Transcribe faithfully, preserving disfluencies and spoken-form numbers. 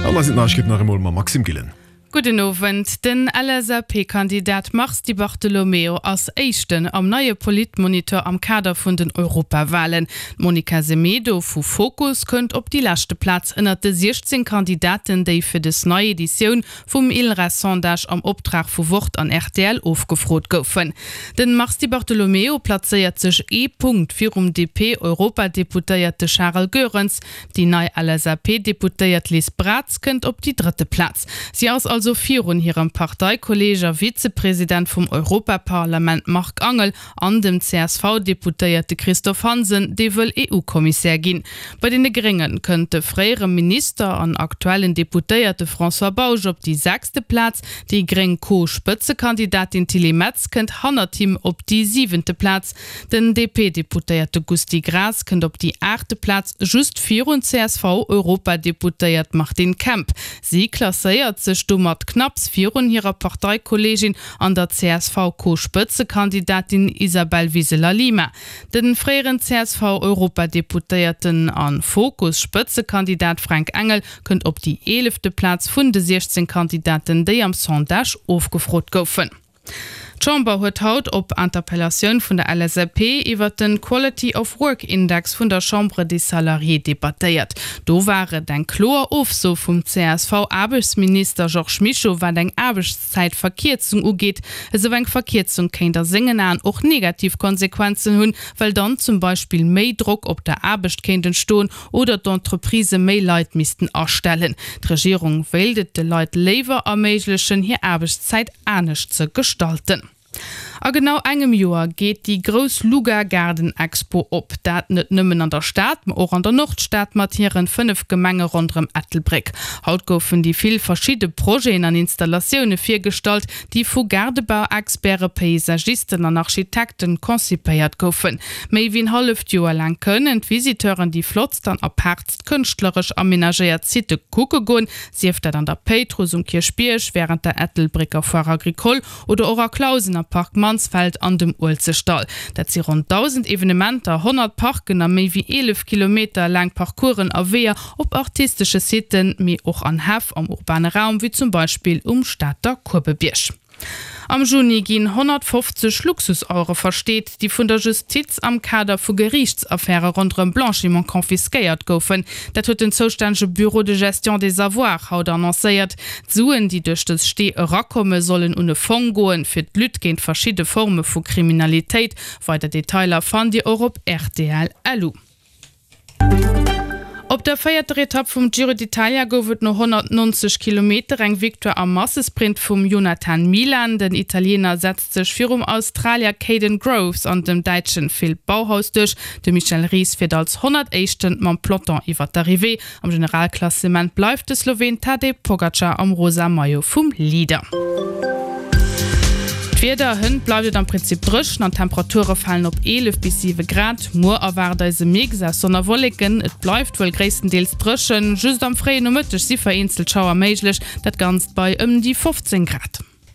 An da sinn d'Neiegkeeten nach eemol mam Maxime Gillen. Gudden Owend. Den LSAP-Kandidat Mars Di Bartolomeo ass Éischten am neie Politmonitor am Kader vun den Europawalen. D'Monica Semedo vu Fokus kënnt op déi leschte Plaz ënnert de siechzéng Kandidaten, déi fir des nei Editioun vum ILReS-Sondage am Optrag vu Wort an rtl ofgefrot goufen. Den Mars Di Bartolomeo plazéiert sech ee Punkt virum D P-Europadeputéierte Charel Goerens. Déi nei L S A P-Deputéiert Liz Braz kënnt op déi drëtte Plaz. Si ass also virun hirem Parteikolleeg a Vizepresident vum Europaparlament Marc Angel an dem C S V-Deputéierte Christophe Hansen, dee wëll E U-Kommissär ginn. Bei deene Grénge kënnt de fréiere Minister an aktuellen Deputéierte François Bausch op déi sechste Plaz. Déi gréng Co-Spëtzekandidatin Tilly Metz kënnt hannert him op déi siwente Plaz. Den D P-Deputéierte Gusty Graas kënnt op déi aachte Plaz, just virun C S V-Europadeputéiert Martine Kemp. Si klasséiert sech domat knapps virun hirer Parteikolleegin an der C S V-Co-Spëtzekandidatin Isabel Wiseler-Lima. De fréieren C S V-Europadeputéierten a Fokus-Spëtzekandidat Fränk Engel kënnt op déi eelefte Plaz vun de siechzéng Kandidaten, déi am Sondage ofgefrot goufen. D'Chamber huet haut op Interpellatioun vun der L S A P iwwer den Quality of Work Index vun der Chambre des Salariés debattéiert. Do war et eng kloer Ofso vum C S V-Aarbechtsminister Georges Mischo wat eng Aarbechtszäitverkierzung ugeet. Esou eng Verkierzung kéint a sengen Aen och negativ Konsequenzen hunn, well dann zum Beispill méi Drock op der Aarbecht kéint entstoen oder d'Entreprisë méi Leit missten astellen. D'Regierung wéilt et de Leit léiwer erméiglechen, hir Aarbechtszäit anescht ze gestalten. A genau engem Joer geet déi grouss Luga Gaarden Expo op. Dat net nëmmen an der Stad, ma och an der Nordstad mat hiren fënnef Gemenge ronderëm Ettelbréck. Haut goufen déi vill verschidde Projeten an Installatioune virgestallt, déi vu Gaardebauexperte, Paysagisten an Architekten konzipéiert goufen. Méi wéi en halleft Joer laang kënnen d'Visiteuren déi flottst an apaartst kënschtleresch amenagéiert Sitte kucke goen, sief dat an der Péitruss, um Kierchbierg, wärend der Ettelbrécker Foire Agricole oder och a Clausen am Park Mansfeld an dem Uelzechtdall. Dat si ronn dausend Evenementer, honnert Parken a méi wéi eelef Kilometer laang Parcoursen a Weeër op artistesche Sitten, mee och an Häff am urbane Raum, wéi zum Beispill um Stater Kuebebierg. Am Juni ginn honnertfofzeg Luxusauere versteet, déi vun der Justiz am Kader vu Geriichtsaffäre ronderëm Blanchiment confisquéiert goufen. Dat huet den zoustännege Bureau de gestion des avoirs haut annoncéiert. D'Suen, déi duerch dës Stee erakommen, sollen un e Fong goen, fir d'Lutte géint verschidde Forme vu Kriminalitéit. Weider Detailer fannt Dir och op rtl. Lu. Op der véierter Etapp vum Giro d'Italia gouf et no honnertnonzeg Kilometer eng Victoire am Massesprint vum Jonathan Milan. Den Italiener setzt sech virum Australier Kaden Groves an dem Däitsche Phil Bauhaus duerch. De Michel Ries fiert als Honnertéischten mam Peloton iwwer d'Arrivée. Am Generalklassement bleift de Sloween Tadej Pogacar am rosa Maillot vum Leader. D'Wieder, Hënt bleift et am Prinzip dréchen an d'Temperature falen op eelef bis siwe Grad. Muer erwaart eis e Mix aus Sonn a Wolleken. Et bleift wuel gréisstendeels dréchen, just am fréien Nomëtteg si vereenzelt Schauer méiglech, dat Ganzt bei ëm déi fofzéng Grad.